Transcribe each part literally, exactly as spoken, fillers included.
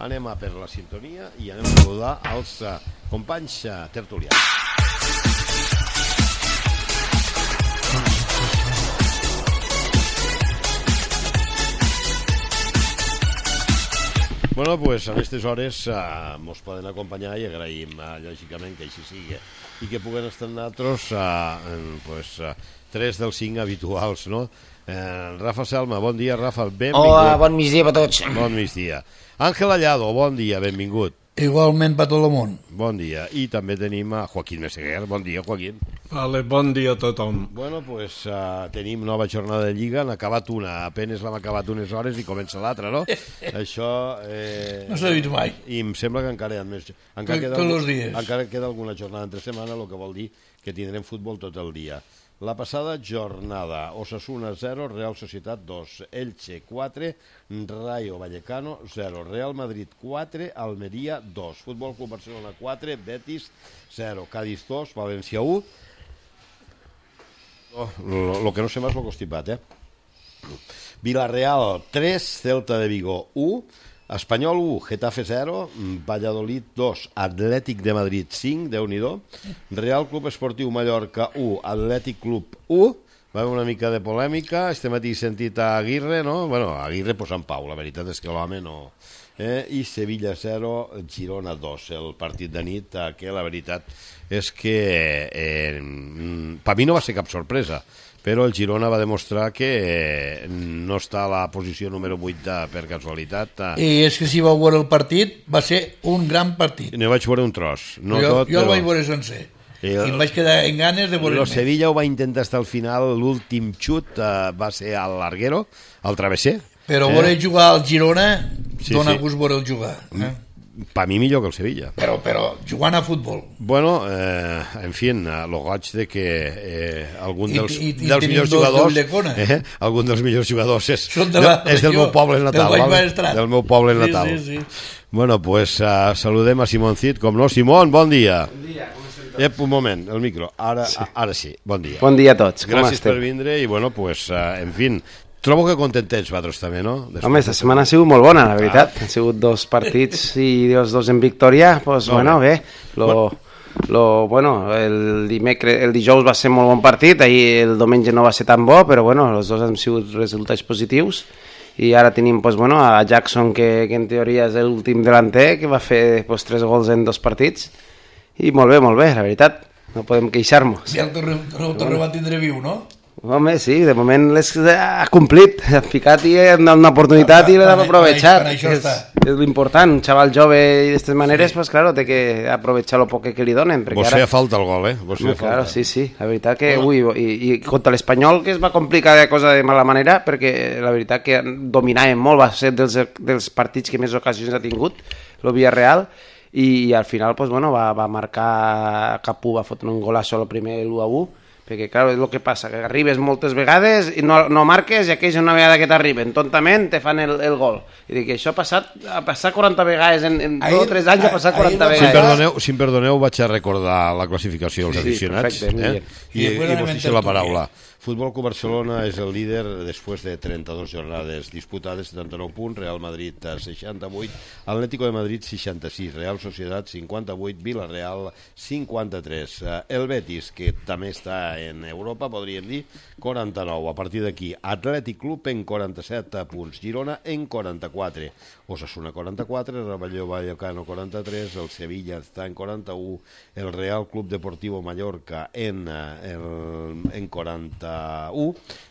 anem a per la sintonia i anem a saludar els uh, companys uh, tertulians. Bueno, pues a aquestes hores uh, mos poden acompanyar i agraïm, uh, lògicament, que així sigui i que puguen estar nosaltres uh, en, pues, uh, tres dels cinc habituals, no? Uh, Rafa Selma, bon dia, Rafa, benvingut. Hola, bon migdia per tots. Bon migdia. Àngel Allado, bon dia, benvingut. Igualment per tot el món. Bon dia. I també tenim a Joaquín Meseguer. Bon dia, Joaquín. Vale, bon dia a tothom. Bueno, pues uh, tenim nova jornada de Lliga. Han acabat una, apenas l'hem acabat unes hores i comença l'altra, no? Això... Eh, no s'ha vist mai. I em sembla que encara hi ha més... Encara tot, queda, tots els dies. Encara queda alguna jornada entre setmana, el que vol dir que tindrem futbol tot el dia. La passada jornada, Osasuna zero, Real Societat dos, Elche quatre, Rayo Vallecano zero, Real Madrid quatre, Almeria dos, Futbol Club Barcelona quatre, Betis zero, Cádiz dos, València u. Oh, lo, lo que no sé más lo constipat, eh? Villarreal tres, Celta de Vigo u, Espanyol u, Getafe zero, Valladolid dos, Atlètic de Madrid cinc, Déu-n'hi-do, Real Club Esportiu Mallorca u, Atlètic Club u, va haver una mica de polèmica, este matí he sentit a Aguirre, no? Bueno, Aguirre pues en pau, la veritat és que l'home no... Eh? I Sevilla zero, Girona dos, el partit de nit, eh, que la veritat és que eh, per mi no va ser cap sorpresa, però el Girona va demostrar que eh, no està a la posició número vuit de, per casualitat. Eh. I és que si vau veure el partit, va ser un gran partit. Ne vaig veure un tros. No jo tot, jo el però... vaig veure sencer. I, el... I em vaig quedar en ganes de veure el Sevilla ho va intentar fins al final, l'últim xut eh, va ser al larguero, al travesser. Però eh? veure jugar al Girona sí, dona sí. gust veure el jugar. Eh? Per mi millor que el Sevilla. Però, però jugant a futbol. Bueno, eh, en fi, lo goig de que eh, algun dels, I, i, dels i millors jugadors eh, algun dels millors jugadors és, de la, és del meu poble natal, del, vale? Del meu poble natal. Sí, sí, sí. Bueno, pues uh, saludem a Simón Cid, com no. Simón, bon dia. Bon dia, com esteu? Ep, un moment, el micro. Ara sí, ara sí. Bon dia. Bon dia a tots, com Gràcies esteu? per vindre i, bueno, pues, uh, en fi, trobo que contentets vosaltres també, no? Després Home, esta setmana ha sigut molt bona, la veritat. Ah. Han sigut dos partits i els dos en victòria. Pues, no, bueno, bé. Lo, bueno. Lo, bueno, el, dimecre, el dijous va ser molt bon partit, ahir el diumenge no va ser tan bo, però bueno, els dos han sigut resultats positius. I ara tenim pues, bueno, a Jackson, que, que en teoria és l'últim delanter, que va fer pues, tres gols en dos partits. I molt bé, molt bé, la veritat. No podem queixar-nos. Si el tornem a tindre viu, no? Home, sí, de moment ha complit, ha ficat i ha donat una oportunitat i l'ha aprovechat. És, és l'important, un xaval jove i d'aquestes maneres, sí. Pues claro, té que aprovechar lo poc que li donen. Vos feia falta el gol, eh? Vos feia claro, falta. sí, sí, la veritat que, ui, i, i contra l'Espanyol que es va complicar de cosa de mala manera, perquè la veritat que dominaven molt, va ser dels, dels partits que més ocasions ha tingut, el Villarreal, i, i al final, pues, bueno, va, va marcar Capú, va fotre un golasso al primer l'u a u, perquè, clar, és el que passa, que arribes moltes vegades i no, no marques, i aquells una vegada que t'arriben, tontament, te fan el, el gol. I dic, això ha passat, ha passat quaranta vegades, en, en dos o tres anys ha passat quaranta vegades. Si em perdoneu, si em perdoneu, vaig a recordar la classificació dels sí, aficionats. Sí, perfecte, eh? I, i, i vos deixo la paraula. Futbol Club Barcelona és el líder després de trenta-dues jornades disputades, setanta-nou punts, Real Madrid seixanta-vuit, Atlético de Madrid seixanta-sis, Real Societat cinquanta-vuit, Villarreal cinquanta-tres, el Betis, que també està en Europa, podríem dir, quaranta-nou. A partir d'aquí, Atlètic Club en quaranta-set punts, Girona en quaranta-quatre, Osasuna quaranta-quatre, Rayo Vallecano quaranta-tres, el Sevilla està en quaranta-u, el Real Club Deportivo Mallorca en, el, en quaranta-u,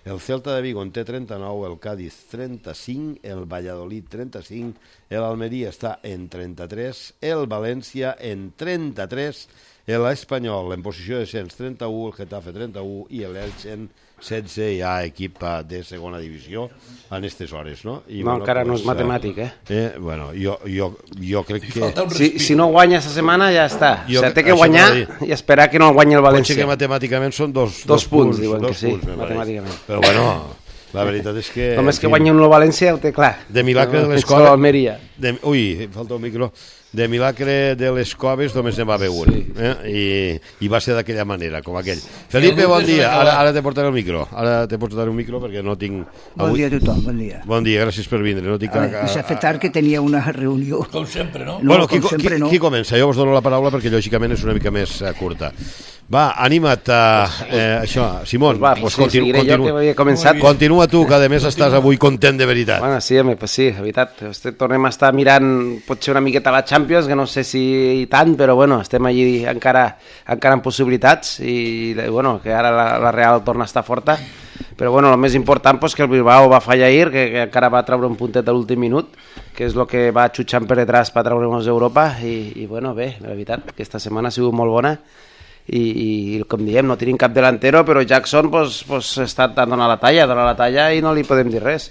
el Celta de Vigo en té trenta-nou, el Cádiz trenta-cinc, el Valladolid trenta-cinc, l'Almeria està en trenta-tres, el València en trenta-tres, l'Espanyol en posició de cens trenta-u, el Getafe trenta-u i l'Elche en setze, ja equip de segona divisió en aquestes hores, no? I, no, bueno, encara pues, no és matemàtic, eh? eh bueno, jo, jo, jo crec que... Si, si no guanya aquesta setmana ja està. Jo, o sigui, té que guanyar i esperar que no guanyi el València. Potser que matemàticament són dos, dos, dos punts, punts, diuen dos que sí, punts, matemàticament. Però bueno, la veritat és que... Només que guanyi un el València ho té clar. De milagre no, de l'escola... Almeria. de, ui, falta un micro, de Milagre de les Coves només en va haver un, sí. eh? I, i va ser d'aquella manera, com aquell. Felipe, bon dia, ara, ara te portaré el micro, ara te portaré un micro perquè no tinc... Bon avui... dia a tothom, bon dia. Bon dia, gràcies per vindre. No tinc... A... S'ha fet tard que tenia una reunió. Com sempre, no? No, bueno, qui, com sempre qui, no. Qui comença? Jo us dono la paraula perquè lògicament és una mica més uh, curta. Va, anima't a eh, això, Simón. Va, pues pues sí, continu, seguiré continu, jo que havia començat. Continua tu, que a més estàs avui content de veritat. Bueno, sí, home, pues sí, de veritat. Este, tornem a estar mirant potser una miqueta la Champions, que no sé si tant, però bueno, estem allí encara, encara amb possibilitats i bueno, que ara la, la Real torna a estar forta. Però bueno, el més important pues, que el Bilbao va fallar ahir, que, que encara va treure un puntet a l'últim minut, que és el que va xutxant per detrás per treure-nos d'Europa i, i bueno, bé, la veritat, aquesta setmana ha sigut molt bona i, i com diem, no tenim cap delantero, però Jackson pues, pues, està donant la talla, dona la talla i no li podem dir res.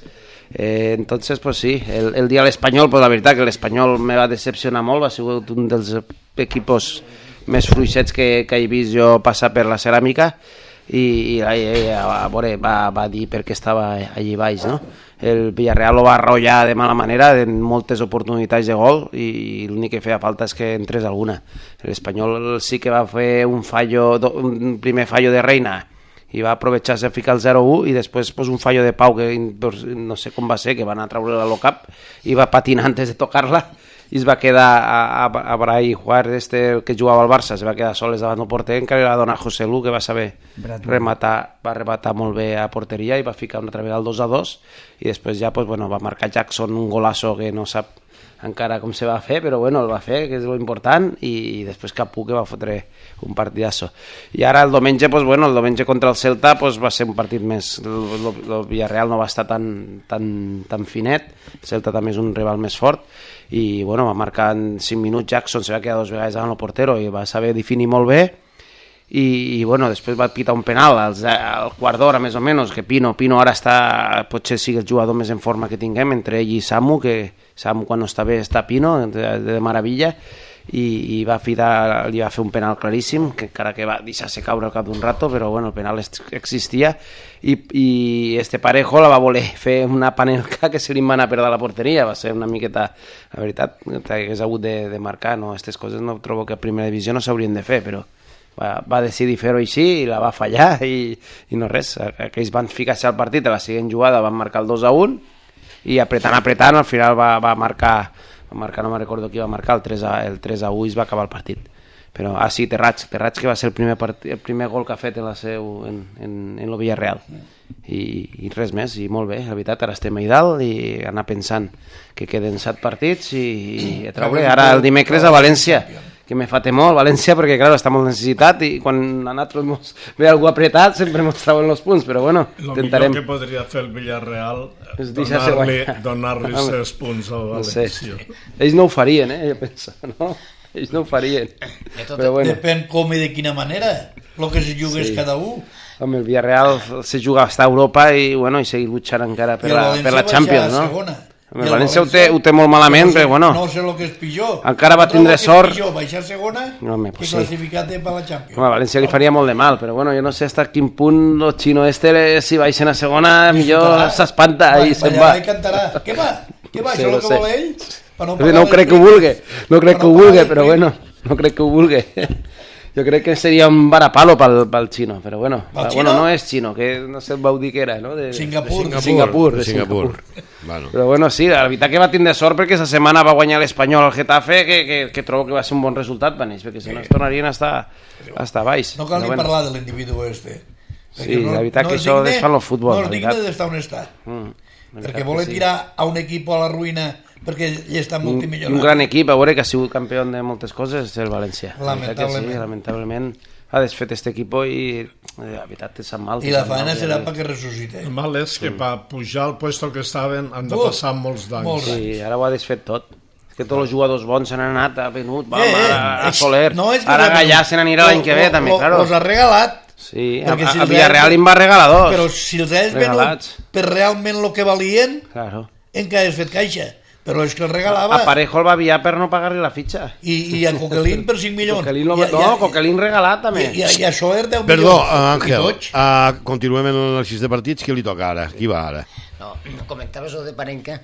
Eh, entonces, pues sí, el, el dia a l'Espanyol, pues la veritat que l'Espanyol me va decepcionar molt, va ser un dels equipos més fluixets que, que he vist jo passar per la ceràmica i, i, i a veure, va, va dir per què estava allí baix, no? El Villarreal ho va arrollar de mala manera en moltes oportunitats de gol i l'únic que feia falta és que entrés alguna. L'Espanyol sí que va fer un fallo, un primer fallo de Reina i va aprovechar-se a ficar el zero u i després pues, un fallo de Pau que no sé com va ser, que va anar a treure la low-cap i va patinar antes de tocar-la i es va quedar a, a, a Brai Juárez, este que jugava al Barça, es va quedar soles davant del porter, encara li va donar José Lu, que va saber rematar, va rematar molt bé a porteria i va ficar una altra vegada el dos a dos i després ja pues, bueno, va marcar Jackson un golasso que no sap encara com se va fer, però bueno, el va fer, que és lo important, i, i després Capú que va fotre un partidasso. I ara el diumenge, pues, bueno, el diumenge contra el Celta pues, va ser un partit més, el, el Villarreal no va estar tan, tan, tan finet, el Celta també és un rival més fort, i bueno, va marcar en cinc minuts Jackson, se va quedar dos vegades davant el portero i va saber definir molt bé, i, i bueno, després va pitar un penal al, al quart d'hora més o menys, que Pino, Pino ara està, potser sigui el jugador més en forma que tinguem, entre ell i Samu, que Samu quan no està bé està Pino, de, de meravella, i, i va fitar, li va fer un penal claríssim, que encara que va deixar-se caure al cap d'un rato, però bueno, el penal existia, i, i este Parejo la va voler fer una panelca que se li va anar a perdre la porteria, va ser una miqueta, la veritat, que hagués hagut de, de marcar, no? Aquestes coses no trobo que a primera divisió no s'haurien de fer, però va, va decidir fer-ho així i la va fallar i, i no res, aquells van ficar-se al partit, a la següent jugada van marcar el dos a un i apretant, apretant, al final va, va marcar, va marcar, no me recordo qui va marcar, el tres a u i es va acabar el partit. Però, ah sí, Terrats, Terrats que va ser el primer, part, el primer gol que ha fet en la seu, en, en, en el Villarreal. I, i res més, i molt bé, la veritat, ara estem a dalt i anar pensant que queden set partits i, i a treure, ara el dimecres a València, que me fa temor València perquè, clar, està molt necessitat i quan a nosaltres ve algú apretat sempre ens treuen els punts, però bueno, lo intentarem. El millor que podria fer el Villarreal és donar-li donar ses punts al València. No sé. Ells no ho farien, eh, jo penso, no? Ells no ho farien. Però bueno. Depèn com i de quina manera, el que se jugués sí. cada un. Home, el Villarreal se juga hasta Europa i, bueno, i seguir luchant encara per la, per la Champions, no? Segona. El València ho té, ho té molt malament, no sé, però bueno... No sé el que és pitjor. Encara va tindre sort... És pitjor baixar segona no, home, que sí. classificar per la Champions. Home, a València li faria molt de mal, però bueno, jo no sé fins a quin punt el xino este, si baixen a segona, millor s'espanta i se'n va. I cantarà. Què va? Què va? Sí, Això és no el que sé. vol ell? No, no crec que ho vulgui, no crec que ho vulgui, però bueno, no crec que ho vulgui. Jo crec que seria un varapalo pel, pel xino, però bueno, bueno, no és xino, que no sé, vau dir que era, no? De, Singapur. De Singapur, de Singapur. Singapur. Bueno. Però bueno, sí, la veritat que va tindre sort perquè aquesta setmana va guanyar l'Espanyol al Getafe, que, que, que trobo que va ser un bon resultat per ells, perquè si no es tornarien a estar, a estar baix. No cal ni bueno. parlar de l'individu este. Sí, no, la veritat no que això digne, desfan el futbol. No és digne d'estar on està. Mm, perquè voler sí. tirar a un equip a la ruïna perquè ell està multimilionari. Un, un gran equip, a veure, que ha sigut campió de moltes coses, és el València. Lamentablement. Sí, lamentablement ha desfet este equipo i la veritat te sap mal. I la faena serà perquè ressuscite. El mal és que sí. per pujar al puesto que estaven han de passar molts d'anys. Molt sí, ara ho ha desfet tot. És que tots els jugadors bons se n'han anat, ha venut, va, eh, a, a Soler, no ara Gallà se n'anirà l'any que ve, també, claro. Los ha regalat. Sí, a, si a Villarreal em va regalar dos. Però si els has venut per realment el que valien, claro. encara has fet caixa. Però és que el regalava. A Parejo el va aviar per no pagar-li la fitxa. I, i a Coquelin per cinc milions. Coquelin lo... No, ja, Coquelin regalat també. I, i a Soler deu Perdó, milions. Perdó, Àngel, uh, continuem en l'anàlisi de partits. Qui li toca ara? Qui va ara? No, comentaves lo de Parenca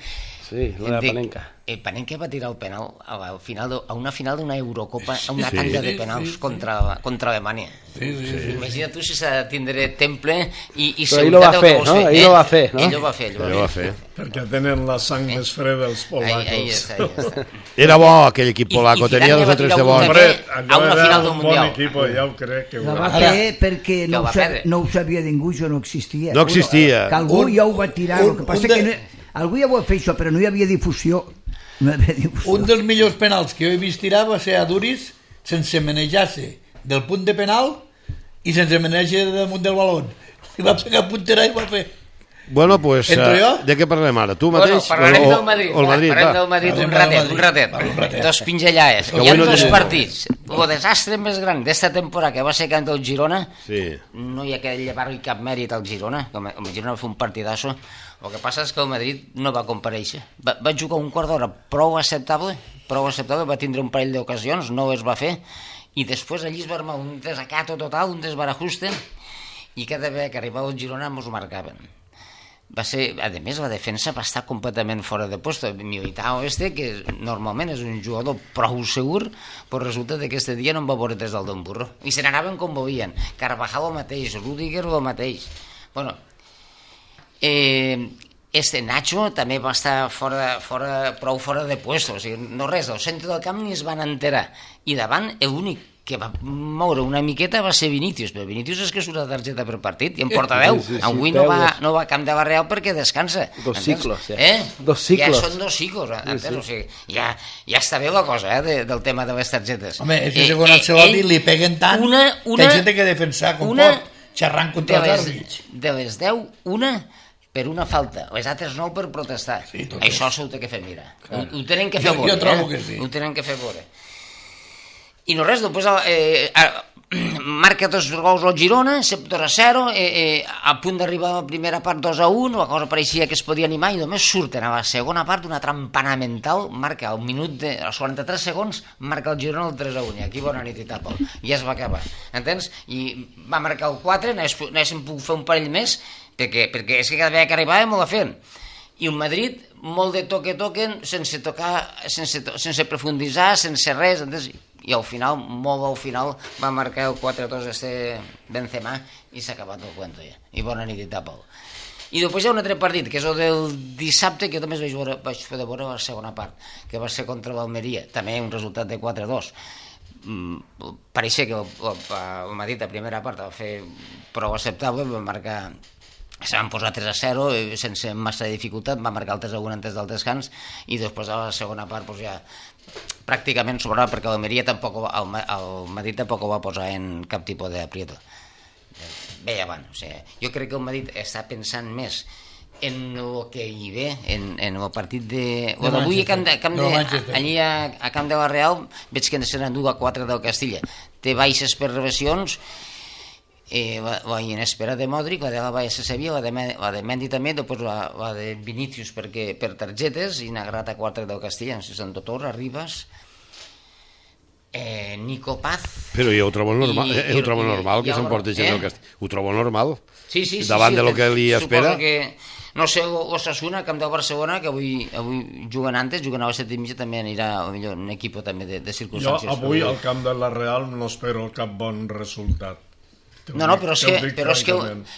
Sí, la de Panenka. El Panenka va tirar el penal a, final de, a una final d'una Eurocopa, a una sí, tanda de penals sí, sí, contra, contra Alemanya. Sí, sí, sí. Imagina't tu si s'ha de tindre temple i, i seguretat del que vols fer. Ell ho va fer, no? Ell ho va fer. Ell ho va fer. Perquè tenen la sang eh? més freda els polacos. Ahí, ahí està, ahí està. Era bo aquell equip polaco, I, i tenia dos o tres de bons. A una final d'un mundial. Bon equip, ja ho crec. Que ho la va fer perquè no ho, sab, no ho sabia ningú, això no existia. No existia. Que algú ja ho va tirar, el que passa que no, algú ja ho va fer això, però no hi havia difusió. No havia difusió. Un dels millors penals que jo he vist tirar va ser a Duris sense manejar-se del punt de penal i sense manejar damunt del baló. I va pegar puntera i va fer. Bueno, pues, uh, de què parlem ara? Tu mateix? Bueno, parlarem o, del Madrid. O el Madrid, parlem del Madrid un ratet, un ratet. Un ratet. Dos pinzellades. Hi ha no dos partits. El desastre més gran d'esta temporada que va ser camp del Girona, sí. No hi ha que llevar-li cap mèrit al Girona, com el Girona va fer un partidasso. El que passa és que el Madrid no va comparèixer. Va, va jugar un quart d'hora prou acceptable, prou acceptable, va tindre un parell d'ocasions, no es va fer, i després allí es va armar un desacato total, un desbarajuste, i cada vegada que arribava el Girona mos marcaven. Va ser, a més, la defensa va estar completament fora de puesto. Militao este, que normalment és un jugador prou segur, però resulta que aquest dia no en va veure des del Don Burro. I se n'anaven com volien. Carvajal el mateix, Rüdiger el mateix. Bueno, eh, este Nacho també va estar fora, fora, prou fora de puesto. O sigui, no res, al centre del camp ni es van enterar. I davant, l'únic que va moure una miqueta va ser Vinícius, però Vinícius és que surt la targeta per partit i en porta deu. Sí, sí, sí, avui no va, no va a camp de la Real perquè descansa. Dos ciclos, ja. Eh? Dos ciclos. Ja són dos ciclos, sí, sí. O sigui, ja, ja està bé la cosa, eh, de, del tema de les targetes. Home, és que eh, segons Ancelotti li peguen tant una, una, que hay gent que defensar com una, pot, xerrant contra els àrbits. De les deu, una per una falta, les altres nou per protestar. Sí, això s'ho té que fer mirar. Ho, ho tenen que fer jo, veure. Jo trobo eh? que sí. Ho tenen que fer veure. I no res, després eh, eh, marca dos gols al Girona, dos a zero, eh, eh, a punt d'arribar a la primera part dos a un, la cosa pareixia que es podia animar i només surten a la segona part d'una trampana mental, marca al minut de, als quaranta-tres segons, marca el Girona el tres a un, i aquí bona nit i tapa, i ja es va acabar, entens? I va marcar el quatre, n'haguéssim pogut fer un parell més, perquè, perquè és que cada vegada que arribàvem ho la fem. I un Madrid molt de toque-toquen, sense tocar, sense, sense profunditzar, sense res, entens? I al final, molt al final, va marcar el quatre a dos este Benzema i s'ha acabat el cuento ja. I bona nit i tapa-ho. I després hi ha un altre partit, que és el del dissabte, que jo també vaig, veure, vaig fer de veure la segona part, que va ser contra l'Almeria, també un resultat de quatre a dos. Mm, pareixia que el, el, el Madrid a primera part va fer prou acceptable, va marcar... Se van posar tres a zero sense massa dificultat, va marcar el tres a un antes del descans i després a la segona part pues, ja pràcticament sobrava perquè l'Almeria tampoc, el, el Madrid tampoc ho va posar en cap tipus d'aprieto. Bé, avant, o sigui, jo crec que el Madrid està pensant més en el que hi ve, en, en el partit de... de avui a Camp de, Camp de, allí a, a Camp de la Real veig que se n'endú a quatre del Castilla. Té baixes per reversions, Eh, la, la inespera de Modric, la de la Baia Sevilla, la de, la de Mendy també, després la, la de Vinícius perquè, per targetes, i Nagrat a quatre del Castilla, no sé si Torra, Ribas, eh, Nico Paz... Però jo ho trobo normal, i, ho trobo normal que s'emporti gent del Castilla. Ho trobo normal, sí, sí, sí, davant sí, de lo que li espera. Que, no sé, l'Osasuna, camp del Barcelona, que avui, avui juguen antes, juguen a les set i mitja, també anirà millor, un equip també de, de circumstàncies. Jo avui al camp de la Real no espero cap bon resultat. No, no, però és que, però és que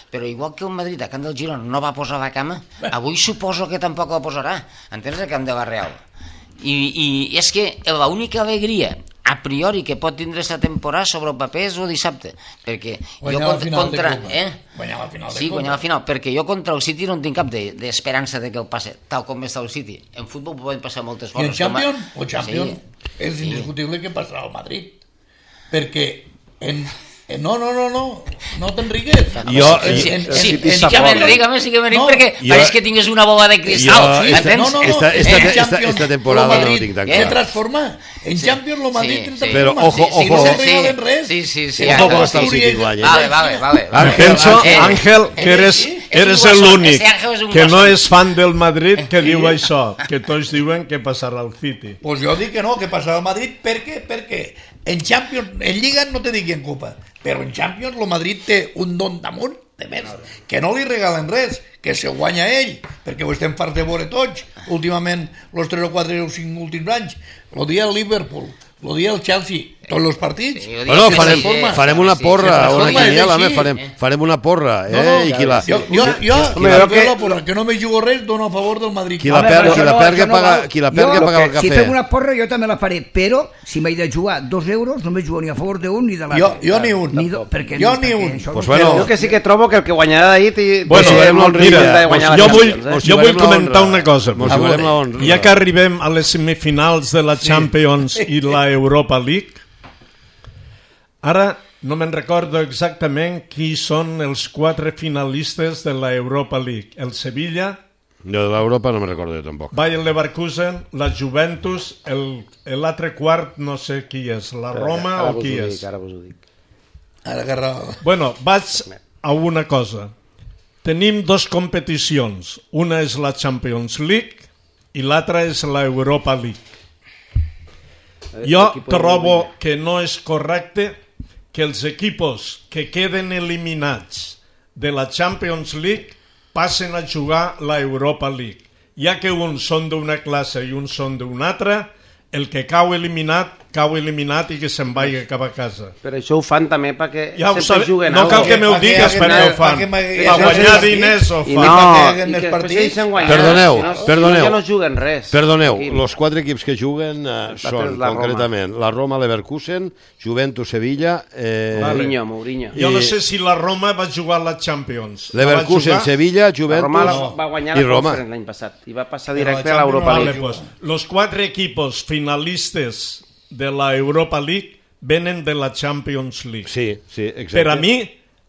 però igual que el Madrid a camp del Girona no va posar la cama, avui suposo que tampoc la posarà, entens, a camp de la Real. I, i és que l'única alegria a priori que pot tindre aquesta temporada sobre el paper és el dissabte, perquè guanyar jo contra, contra eh? guanyar la final de sí, guanyar la final, perquè jo contra el City no en tinc cap d'esperança de, de que el passe, tal com està el City. En futbol poden passar moltes coses. I en Champions, o Champions sí. És indiscutible sí. Que passarà al Madrid, perquè en no, no, no, no, no t'enrigues. Jo, sí, sí, sí que m'enriga, sí que m'enriga, perquè pareix que tingués una bola de cristal. No, no, no, esta temporada no tinc tan clar. Se transforma. En Champions lo Madrid se transforma. Però, ojo, ojo. Si no se regalen res. Sí, sí, sí. Ojo com està el City guany. Vale, vale, vale. Penso, Ángel, que eres eres l'únic que no és fan del Madrid que diu això, que tots diuen que passarà al City. Pues jo dic que no, que passarà al Madrid, per què? Perquè en Champions, en Lliga no te dic en Copa, però en Champions el Madrid té un don damunt de més, que no li regalen res, que se guanya ell, perquè ho estem farts de veure tots, últimament, els tres o quatre o cinc últims anys, el dia el Liverpool, el dia el Chelsea, tots els partits. Sí, Bueno, farem, sí, sí, farem una sí, porra, sí, una sí, sí, quiniela, sí, home, sí. farem, farem una porra, eh? No, no, I qui la, Jo, jo, jo, Home, jo que- la porra, que no me jugo res, dono a favor del Madrid. qui la, Home, per, però qui això la no- perga això no paga, val. qui la Jo, perga lo paga el Si cafè. fem una porra jo també la faré, però si m'he de jugar dos euros no me jugo ni a favor d'un ni de l'altre. Jo- jo ni un. Ni do, perquè, Jo perquè ni un. això Pues no- bueno. Jo que sí que trobo que el que guanyarà d'ahir té Bueno, té jugarem molt la risc honra. de guanyar la jo vull, Champions, eh? Mos jo vull jugarem la comentar honra. una cosa. Mos A jugarem veure. la honra. Ja que arribem a les semifinals de la Champions i la Europa League, ara no me'n recordo exactament qui són els quatre finalistes de la Europa League. El Sevilla, Jo de l'Europa no me'n recordo jo tampoc. Bayer Leverkusen, la Juventus, el- l'altre quart no sé qui és, la Roma Ara o vos qui ho és. dic, ara vos ho dic. Ara que raó. Bueno, vaig a una cosa. Tenim dos competicions. Una és la Champions League i l'altra és la Europa League. Jo L'equip de trobo que no és correcte que els equipos que queden eliminats de la Champions League passen a jugar la Europa League. Ja que uns són d'una classe i uns són d'una altra, el que cau eliminat, cau eliminat i que se'n vagi cap a casa. Però això ho fan també perquè Ja ho sempre sabe, juguen no algo. cal que m'ho Pa que digues haguem- perquè ho pa fan. que m'hagués- Per guanyar sí, diners ho I fan. no, Pa que i haguem que més després partits. deixen guanyar. Perdoneu, Si no, si perdoneu. no, ja no juguen res. Perdoneu, Aquí. els quatre equips que juguen eh, són, la Roma. concretament, la Roma, Leverkusen, Juventus, Sevilla, eh, Mourinho, Mourinho. Jo no I- sé si la Roma va jugar a la Champions. La va Leverkusen, jugar? Sevilla, La Juventus Roma la, va guanyar i la Roma. Conference l'any passat i va passar Però directe la a l'Europa Champions League. Vale, pues, los cuatro equipos finalistes de la Europa League venen de la Champions League. Sí, sí, exacte. Per a mi,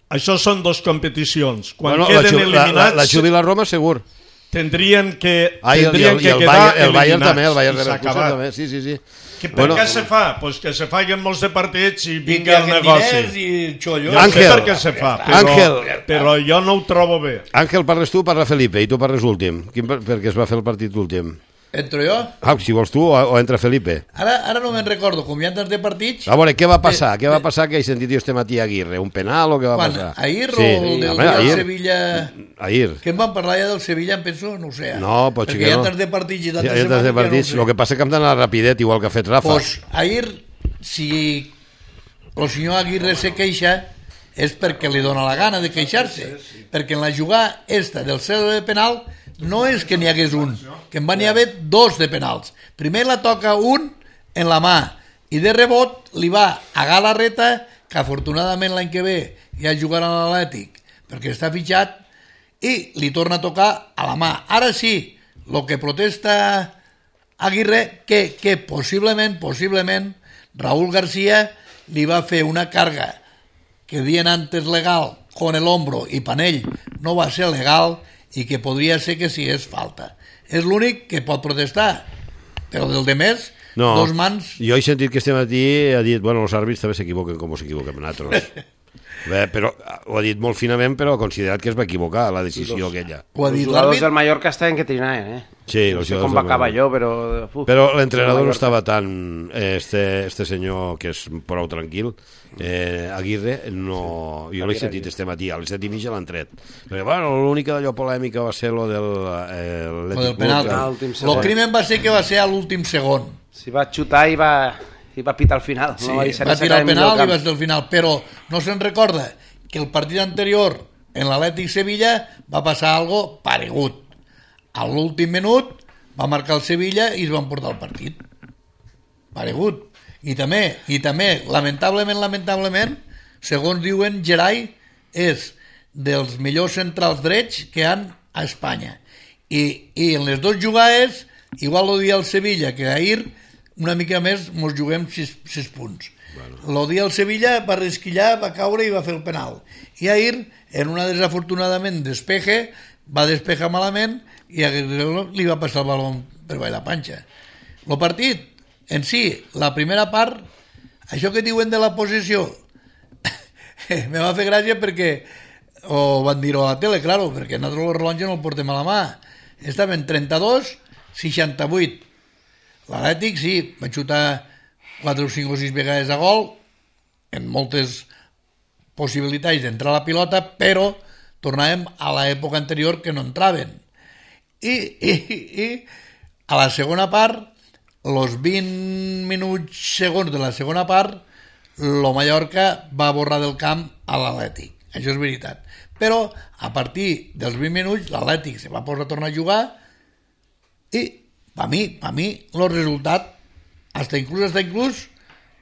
això són dos competicions. Quan bueno, la, queden Ju- la, la, eliminats, la Juve i la Roma segur. tendrien que, Ah, i el, i tendrien el, i que el, quedar Bayern, el Bayern eliminats. també, el Bayern I s'ha Leverkusen acabat. també, sí, sí, sí. Que per Bueno, què se fa? Pues que se facin molts de partits i I vingui que el haguem negoci. diners i xollo. Jo Àngel. sé per què se fa, però, Àngel. però jo no ho trobo bé. Àngel, parles tu, parla Felipe, i tu parles últim. Quin, per- perquè es va fer el partit últim. Entro jo? Ah, si vols tu, o, o entra Felipe. Ara, ara no me'n recordo, com hi ha tants de partits... A veure, què va passar? De- Què va de- passar que he sentit jo este matí a Aguirre? Un penal o què va Quan? passar? Ahir o Sí, el del home, dia del ahir. Sevilla... Ahir. Que em van parlar ja del Sevilla, em penso, no ho sé. No, pot ser Perquè que hi ha no. tants de partits i Sí, tantes hi ha tants de setmanes partits. que El no ho sé. que passa que hem d'anar rapidet, igual que ha fet Rafa. Pues ahir, si el senyor Aguirre se queixa, és perquè li dona la gana de queixar-se. Perquè en la jugada esta del cero de penal no és que n'hi hagués un, que en van hi haver dos de penals. Primer la toca un en la mà i de rebot li va a Galarreta, que afortunadament l'any que ve ja jugarà a l'Atlètic perquè està fitxat, i li torna a tocar a la mà. Ara sí, el que protesta Aguirre, que, que possiblement, possiblement, Raúl García li va fer una carga que dien antes legal con el hombro i Panell no va ser legal i que podria ser que sí és falta. És l'únic que pot protestar, però del de més, No, dos mans... jo he sentit que este matí ha dit, bueno, els àrbits també s'equivoquen com s'equivoquem nosaltres. Bé, però ho ha dit molt finament, però ha considerat que es va equivocar la decisió aquella. Ho ha Els dit jugadors l'àrbit. del Mallorca estaven que trinaven, eh? Sí, no els sé jugadors com va del acabar Mallorca. allò, però... Uf, Però l'entrenador no Mallorca. estava tan... eh, Este, este senyor, que és prou tranquil, eh, Aguirre, no... Jo l'he sentit este matí, a les set i mitja l'han tret. Perquè, bueno, l'única d'allò polèmica va ser lo del... Eh, Lo del penal. Ah, l'últim segon. El crimen va ser que va ser a l'últim segon. Si va xutar i va, i va pitar al final. Sí, no va, deixar va ni tirar sacar el penal i camp. va ser al final, però no se'n recorda que el partit anterior en l'Atlètic Sevilla va passar algo paregut. A l'últim minut va marcar el Sevilla i es van portar el partit. Paregut. I també, i també, lamentablement, lamentablement, segons diuen, Gerai és dels millors centrals drets que han a Espanya. I, i en les dues jugades, igual lo dia el Sevilla que ahir, una mica més mos juguem sis, sis punts. Bueno. Lo dia el Sevilla va resquillar, va caure i va fer el penal. I ahir, en una desafortunadament despeje, va despejar malament i a Guerrero li va passar el baló per baix la panxa. El partit, en si, la primera part, això que diuen de la posició, me va fer gràcia perquè o van dir-ho a la tele, claro, perquè nosaltres el rellotge no el portem a la mà. Estaven trenta-dos seixanta-vuit. L'Atlètic, sí, va xutar quatre o cinc o sis vegades a gol, en moltes possibilitats d'entrar a la pilota, però tornàvem a l'època anterior que no entraven. I, i, i a la segona part, els vint minuts segons de la segona part, el Mallorca va borrar del camp a l'Atlètic. Això és veritat. Però a partir dels vint minuts l'Atlètic se va posar a tornar a jugar i per mi, per mi el resultat hasta inclús, hasta inclús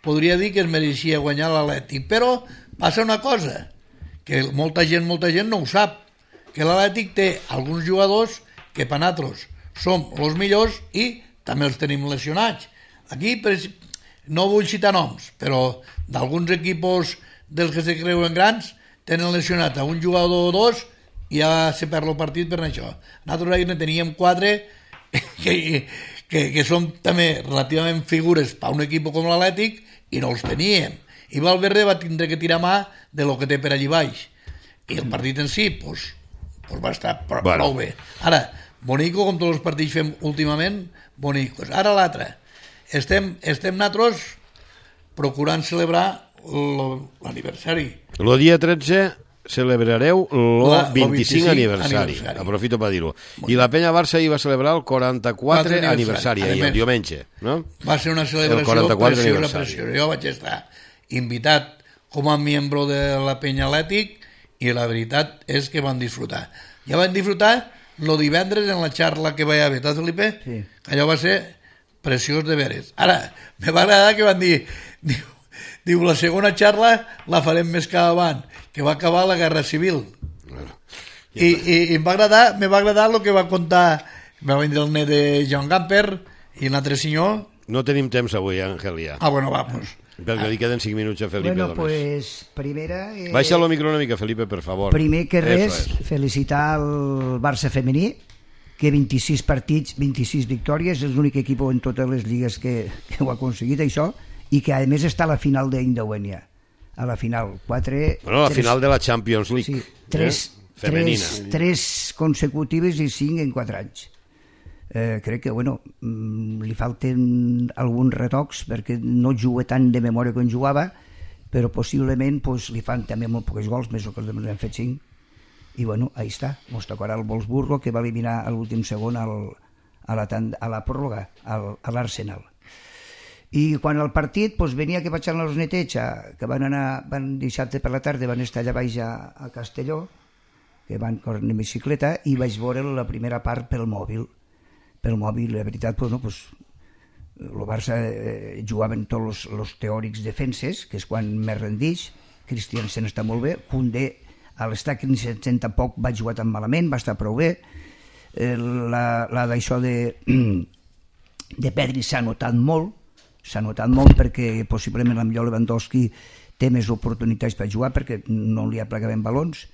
podria dir que es mereixia guanyar l'Atlètic, però passa una cosa que molta gent, molta gent no ho sap, que l'Atlètic té alguns jugadors que per nosaltres som els millors i també els tenim lesionats. Aquí no vull citar noms, però d'alguns equipos dels que se creuen grans tenen lesionat a un jugador o dos i ja se perd el partit per això. Nosaltres aquí ne teníem quatre que, que, que són també relativament figures per un equip com l'Atlètic i no els teníem. I Valverde va tindre que tirar mà de lo que té per allí baix. I el partit en si pues, pues va estar prou, bueno. prou bé. Ara, bonico, com tots els partits fem últimament, bonicos. Ara l'altre. Estem, estem nosaltres procurant celebrar l'aniversari. El dia tretze celebrareu el vint-i-cinc aniversari. aniversari. Aprofito per dir-ho. I la Penya Barça hi va celebrar el quaranta-quatre aniversari, ahir, el diumenge. No? Va ser una celebració preciosa, preciosa. Jo vaig estar invitat com a membre de la Penya Atlètic i la veritat és que van disfrutar. Ja van disfrutar el divendres en la xarra que vaig haver, t'has, Felipe? Sí. Allò va ser preciós de veres. Ara, me va agradar que van dir... Diu, diu, la segona xarra la farem més que avant, que va acabar la Guerra Civil. Bueno, I, i, i em va agradar, me va agradar el que va contar, va vindre el net de John Gamper i l'altre senyor. No tenim temps avui, Àngel, ja. Ah, bueno, va, pues. Perquè li queden cinc minuts a Felipe. Bueno, només. pues, primera... Eh, Baixa el micro una mica, Felipe, per favor. Primer que res, es. felicitar el Barça femení, que vint-i-sis partits, vint-i-sis victòries, és l'únic equip en totes les lligues que, que ho ha aconseguit, això, i que a més està a la final d'Indeuenya, a la final quatre, bueno, a la tres, final de la Champions League, sí, tres, eh? Femenina, tres, tres consecutives i cinc en quatre anys. Eh, crec que bueno, li falten alguns retocs perquè no juga tant de memòria com jugava, però possiblement pues, li fan també molt pocs gols, més o que els hem fet cinc, i bueno, ahí està, ens tocarà el Wolfsburgo, que va eliminar a l'últim segon al, a, la, a la pròrroga, al, a l'Arsenal. I quan el partit pues, venia que vaig anar als neteig, que van anar van dissabte per la tarda, van estar allà baix a, a Castelló, que van córrer en bicicleta, i vaig veure la primera part pel mòbil. Pel mòbil, la veritat, pues, no, pues, el Barça eh, jugaven tots els teòrics defenses, que és quan més rendix. Christiansen està molt bé, Koundé a l'estat setanta tampoc va jugar tan malament, va estar prou bé. Eh, la, la d'això de, de Pedri s'ha notat molt, s'ha notat molt perquè possiblement el millor Lewandowski té més oportunitats per jugar perquè no li aplegaven balons.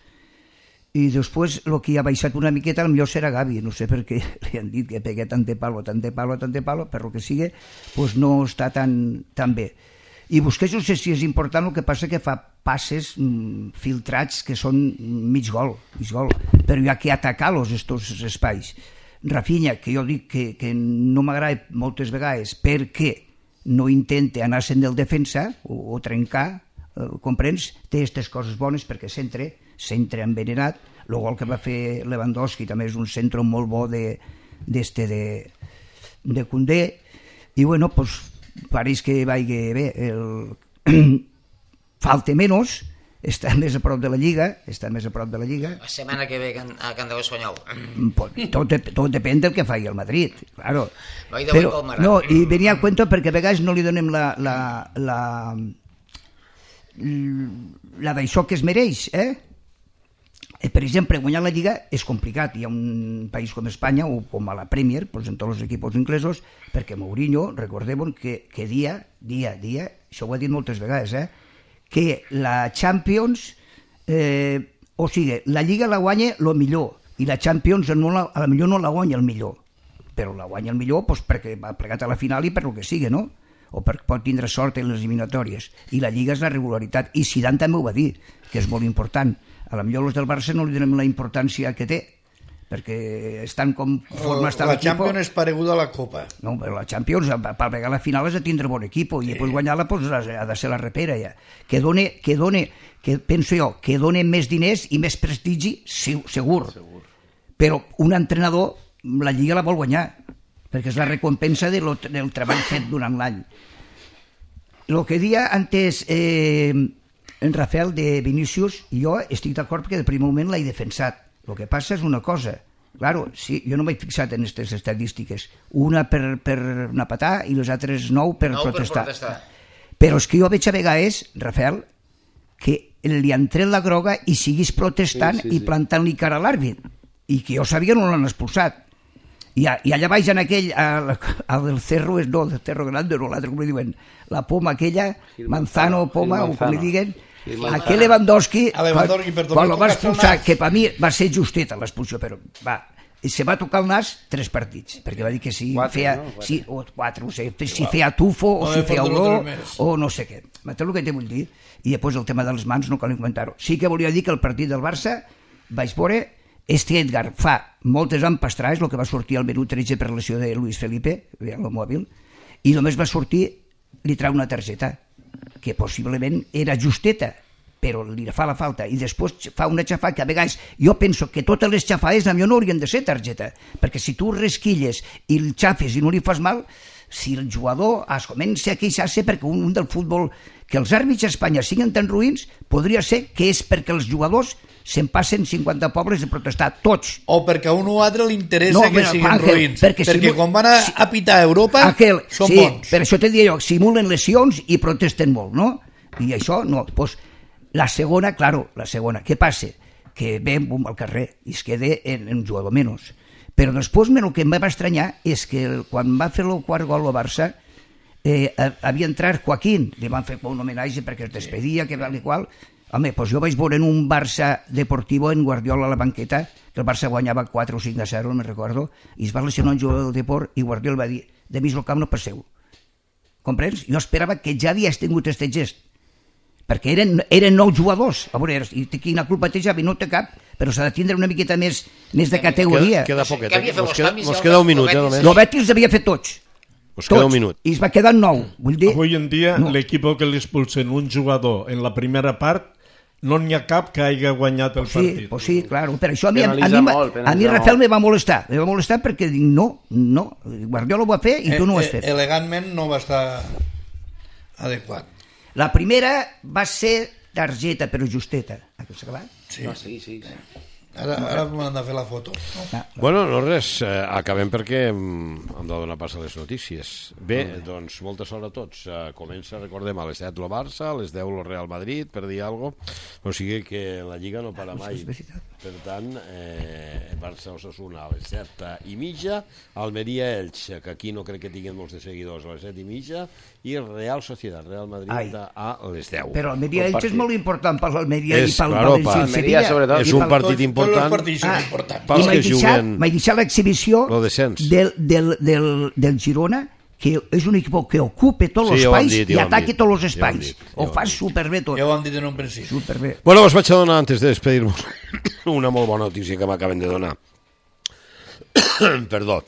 I després el que ha baixat una miqueta el millor serà Gavi, no sé per què li han dit que pegué tant de palo, tant de palo, tant de palo, per lo que sigui, pues no està tan, tan bé. I Busquets no sé si és important, el que passa que fa passes mm, filtrats que són mig gol, mig gol, però hi ha que atacar-los estos espais. Rafinha, que jo dic que, que no m'agrada moltes vegades perquè no intenta anar-se'n del defensa o, o trencar, eh, comprens? Té aquestes coses bones perquè centre, centre envenenat. El gol que va fer Lewandowski també és un centre molt bo de, d'este de, de Koundé. I bueno, pues, pareix que vagi bé. El... Falta menys, està més a prop de la Lliga, està més a prop de la Lliga. La setmana que ve a Can Déu Espanyol. Tot, tot depèn del que faci el Madrid, claro. Però, no, i venia a cuento perquè a vegades no li donem la la, la, la d'això que es mereix, eh? Per exemple, guanyar la Lliga és complicat. Hi ha un país com Espanya o com a la Premier, doncs en tots els equips inglesos, perquè Mourinho, recordem que, que dia, dia, dia, això ho ha dit moltes vegades, eh? Que la Champions, eh, o sigui, la Lliga la guanya el millor i la Champions no la, a la millor no la guanya el millor, però la guanya el millor doncs, perquè va plegat a la final i per el que sigui, no? O perquè pot tindre sort en les eliminatòries. I la Lliga és la regularitat. I Zidane també ho va dir, que és molt important. A la millor els del Barça no li donem la importància que té, perquè estan com forma està La l'equip. Champions és pareguda a la Copa. No, però la Champions, per pegar la final has de tindre bon equip i després guanyar-la pues, ha de ser la repera ja. Que done, que done, que penso jo, que done més diners i més prestigi, segur. Però un entrenador la Lliga la vol guanyar, perquè és la recompensa de lo, del treball fet durant l'any. El que dia antes eh, en Rafael de Vinícius, jo estic d'acord perquè del primer moment l'he defensat. El que passa és una cosa, claro, sí, jo no m'he fixat en aquestes estadístiques, una per, per una patà i les altres nou per, no, protestar. per protestar. Però és que jo veig a vegades, Rafael, que li han tret la groga i siguis protestant sí, sí, sí. i plantant-li cara a l'àrbit, i que jo sabia no l'han expulsat. I, I allà baix en aquell, al, al del cerro, no, del cerro grande, no, l'altre, com li diuen, la poma aquella, manzano, poma, o com li diguen, aquell Lewandowski, Lewandowski quan, quan el va expulsar, que per mi va ser justeta l'expulsió, però va, se va tocar el nas tres partits, perquè va dir que si quatre, feia, no? si, o quatre, no sé, si feia tufo, o no si feia olor, o no sé què. M'entens el que te vull dir? I després el tema de les mans no cal comentar-ho. Sí que volia dir que el partit del Barça vaig veure este Edgar fa moltes empastrades, el que va sortir al menú tretze per lesió de Luis Felipe, el mòbil, i només va sortir, li trau una targeta, que possiblement era justeta, però li fa la falta, i després fa una xafà que a vegades jo penso que totes les xafades a mi no haurien de ser targeta, perquè si tu resquilles i el xafes i no li fas mal, si el jugador es comença a queixar-se perquè un, un del futbol, que els àrbits a Espanya siguin tan ruïns, podria ser que és perquè els jugadors se'n passen cinquanta pobles de protestar, tots. O perquè a un o altre li interessa No, que mira, siguin Ángel, ruïns. perquè Perquè si- quan van a, si- a pitar a Europa Aquel, són sí, bons. per això te diria jo, simulen lesions i protesten molt, no? I això no. Pues, la segona, claro, la segona. Què passa? Que ve bum, al carrer i es queda en, en un jugador menys. Però després el que em va estranyar és que el, quan va fer el quart gol al Barça eh, havia entrat Joaquín, li van fer un homenatge perquè es despedia, que val i qual. Home, doncs jo vaig veure en un Barça Deportivo en Guardiola a la banqueta, que el Barça guanyava quatre o cinc a zero, no me'n recordo, i es va lesionar un jugador del Deport i Guardiola va dir, de mig el camp no passeu. Comprens? Jo esperava que ja havies tingut aquest gest, perquè eren, eren nou jugadors. A veure, i quina culpa té Javi? No té cap, però s'ha de tindre una miqueta més, més de categoria. Queda, queda poquet. Que havia fet Mos els queda, canvis, mos el queda un Betis. minut, eh, només. El Betis els havia fet tots. Mos queda tots. un minut. I es va quedar nou. Vull dir, Avui en dia, No. l'equip que li expulsen un jugador en la primera part, no n'hi ha cap que hagi guanyat el sí, partit. pues sí, claro. Per això a mi, a, mi, Penalitza a mi, molt, a mi penalitza Rafael molt. me va molestar. Me va molestar perquè dic, no, no, Guardiola ho va fer i tu no ho has Eh, eh, fet. elegantment no va estar adequat. La primera va ser targeta, però justeta. Ha acabat? Sí. No, sí, sí. Ara, ara m'han de fer la foto. Ah, Bueno, no res, eh, acabem perquè mm, hem de donar pas a les notícies. Bé, doncs molta sort a tots. Eh, comença, recordem, a les set el Barça, a les deu el Real Madrid, per dir alguna cosa. O sigui que la Lliga no para mai. és veritat. Per tant, eh, Barça-Osasuna a les set i mitja, Almeria-Elx, que aquí no crec que tinguin molts de seguidors, a les set i mitja, i Real Sociedad, Real Madrid Ai. a les deu. Però Almeria Bon Elx és partit. molt important per l'Almeria És, i pel claro, València per i Almeria, Sevilla. sobretot. És I un pel- partit Tots, tots important. els partits són Ah, importants. Pels I que m'he deixat, juguen m'he deixat l'exhibició lo descens. del, del, del, del Girona, que és un equip que ocupa tots Sí, els ja ho hem espais dit, ja i ho hem ataca dit. tots els Ja ho hem espais. dit, ja Ho ho hem fa dit. superbé tot. Ja ho hem dit en un principi. Superbé. Bueno, us vaig a donar, antes de despedir-nos, una molt bona notícia que m'acaben de donar. Perdó.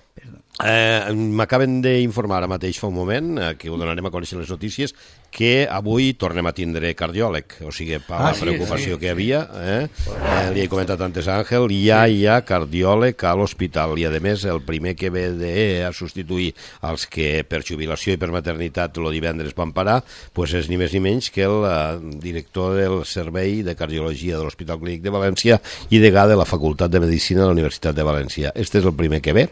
Eh, m'acaben d'informar ara mateix fa un moment, eh, que ho donarem a conèixer les notícies, que avui tornem a tindre cardiòleg, o sigui, per Ah, la sí, preocupació sí, que hi havia, eh? Eh, li he comentat antes a Àngel, ja hi ha cardiòleg a l'hospital, i a més el primer que ve de, a substituir els que per jubilació i per maternitat el divendres van parar, pues és ni més ni menys que el eh, director del Servei de Cardiologia de l'Hospital Clínic de València i degà de la Facultat de Medicina de la Universitat de València. Este és el primer que ve,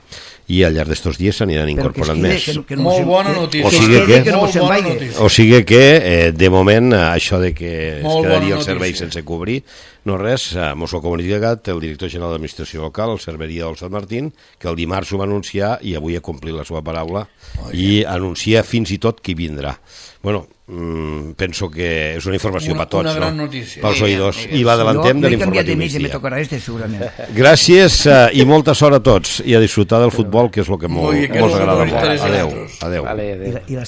i al llarg d'estos dies s'aniran Però que es incorporant quede, més. que no- que no Molt se- bona que- notícia. O sigui es quede, que- no Molt se'n bona vagi. notícia. O sigui que, eh, de moment, eh, això de que es Molt quedaria bona el servei notícia. sense cobrir, no res, eh, mos ho ha comunicat el director general d'Administració Local, el Cerveria del Sant Martín, que el dimarts ho va anunciar i avui ha complit la seva paraula Oh, i anuncia fins i tot qui vindrà. Bueno, mm, penso que és una informació Una- per tots, una gran no? notícia. Pels Muy bien, oïdors. muy bien. I l'adelantem de Jo he canviat de l'informatiu mig i me migdia. tocarà este, segurament. Gràcies eh, i molta sort a tots i a disfrutar del futbol, que és el que Muy mos bien, que mos és lo que agrada ens molt. interessa a Adéu. nosaltres. Adéu. Vale, I, adéu. la, i la